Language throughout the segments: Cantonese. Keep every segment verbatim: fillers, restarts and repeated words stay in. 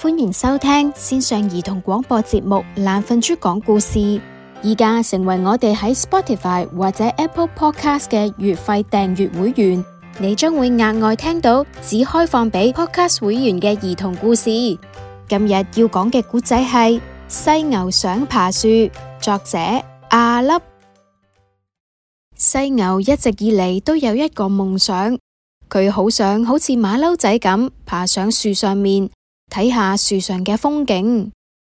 歡迎收聽線上兒童廣播節目《懶瞓豬講故事》。而家成為我哋喺 Spotify 或者 Apple Podcast 嘅月費訂閱會員，你將會額外聽到只開放俾 Podcast 會員嘅兒童故事。今日要講嘅故仔係犀牛想爬樹，作者阿粒。犀牛一直以嚟都有一個夢想，佢好想好似馬騮仔咁爬上樹上面睇下樹上嘅風景。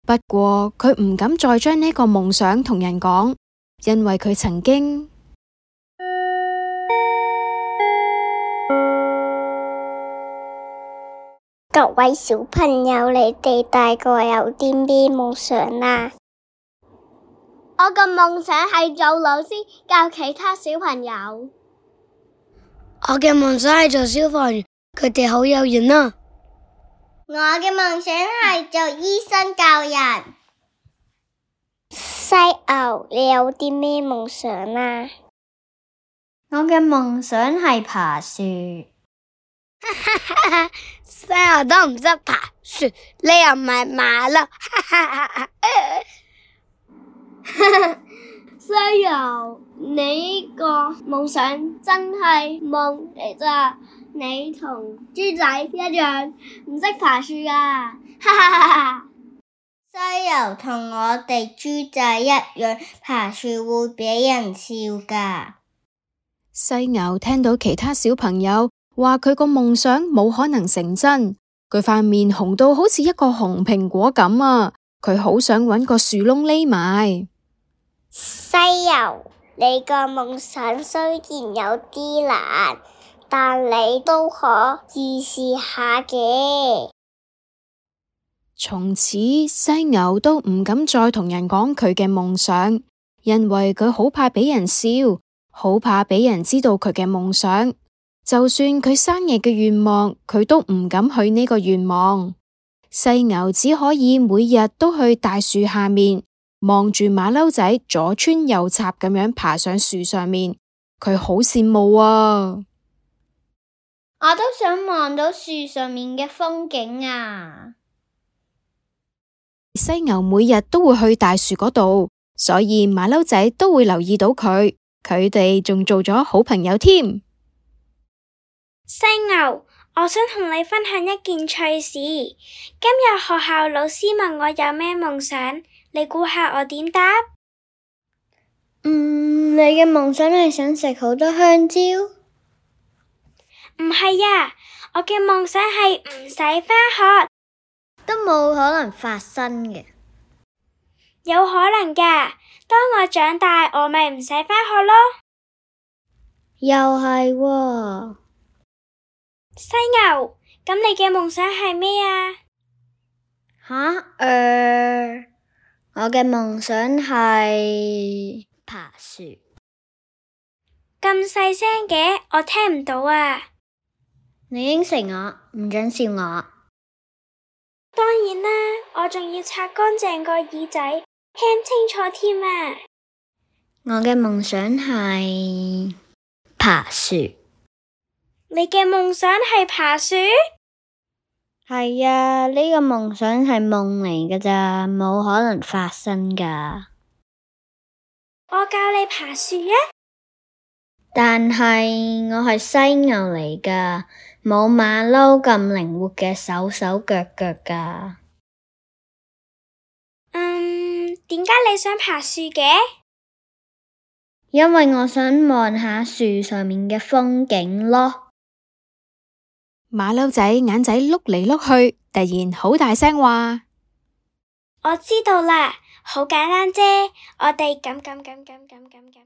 不過佢唔敢再將呢個夢想同人講，因為佢曾經各位小朋友，你哋大個有啲咩夢想啊？我嘅夢想係做老師，教其他小朋友。我嘅夢想係做消防員，佢哋好有緣啊！我嘅夢想係做醫生教人。犀牛，你有啲咩夢想啊？我嘅夢想係爬樹。犀牛都唔識爬樹，你又唔係馬騮。犀牛，你呢個夢想真係夢嚟咋？你同豬仔一樣唔識爬樹㗎。犀牛同我哋豬仔一樣，爬樹會俾人笑㗎。犀牛聽到其他小朋友話佢個夢想冇可能成真，佢塊面紅到好似一個紅蘋果咁啊！佢好想搵個樹窿匿埋。犀牛，你個夢想雖然有啲難，但你都可以試下嘅。從此，犀牛都唔敢再同人講佢嘅夢想，因為佢好怕俾人笑，好怕俾人知道佢嘅夢想。就算佢生日嘅願望，佢都唔敢許呢個願望。犀牛只可以每日都去大樹下面，望住馬騮仔左穿右插咁樣爬上樹上面，佢好羨慕啊！我都想望到樹上面嘅風景啊！犀牛每日都會去大樹嗰度，所以馬騮仔都會留意到佢，佢哋仲做咗好朋友添。犀牛，我想同你分享一件趣事。今日學校老師問我有咩夢想，你估下我點答？嗯，你嘅夢想係想食好多香蕉？唔係啊，我嘅夢想係唔使返學。都冇可能發生嘅。有可能㗎，當我長大，我咪唔使返學咯。又係喎。犀牛，咁你嘅夢想係咩啊？吓？呃，我嘅夢想係爬樹。咁細聲嘅，我聽唔到啊。你應承我，唔准笑我。當然啦，我仲要擦乾淨個耳仔，聽清楚添啊！我嘅夢想係爬樹。你嘅夢想係爬樹？係啊，呢個夢想係夢嚟㗎咋，冇可能發生㗎。我教你爬樹啊！但係我係犀牛嚟㗎，冇馬騮咁靈活嘅手手腳腳㗎。嗯，點解你想爬樹嘅？因為我想望下樹上面嘅風景咯。馬騮仔眼仔碌嚟碌去，突然好大聲話：我知道啦，好簡單啫，我哋咁咁咁咁咁咁咁咁。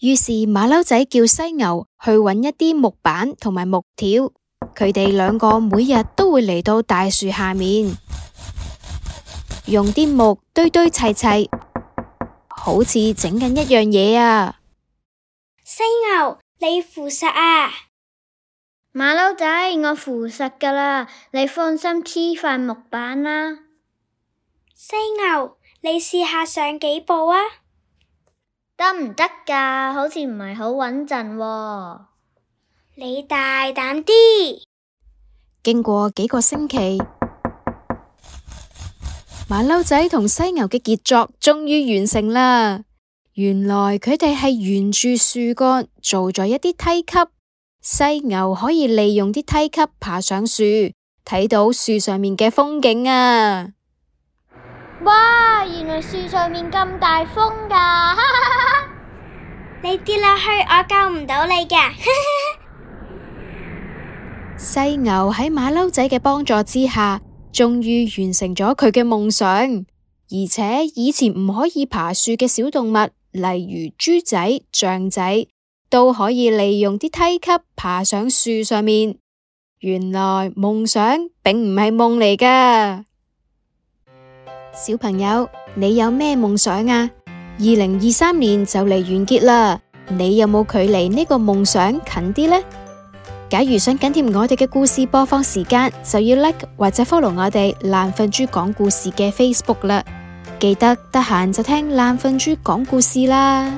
於是馬騮仔叫犀牛去搵一啲木板同埋木條，佢哋兩個每日都會嚟到大樹下面，用啲木堆堆砌砌，好似整緊一樣嘢啊！犀牛，你扶實啊！馬騮仔，我扶實㗎啦，你放心黐塊木板啦。犀牛，你試下上幾步啊？得唔得㗎？好似唔係好穩陣喎。你大膽啲！經過幾個星期，馬騮仔同犀牛嘅傑作終於完成啦。原來佢哋係沿住樹幹做咗一啲梯級，犀牛可以利用啲梯級爬上樹，睇到樹上面嘅風景啊！哇，原來樹上面咁大風噶！你跌落去，我救唔到你嘅。犀牛喺馬騮仔嘅幫助之下，終於完成咗佢嘅夢想。而且以前唔可以爬樹嘅小動物，例如豬仔、象仔，都可以利用啲梯級爬上樹上面。原來夢想並唔係夢嚟噶。小朋友，你有咩夢想啊？二零二三年就嚟完結啦，你有冇距離呢個夢想近啲呢？假如想緊貼我哋嘅故事播放時間，就要 like 或者 follow 我哋懶瞓豬講故事嘅 Facebook 啦。記得得閒就聽懶瞓豬講故事啦。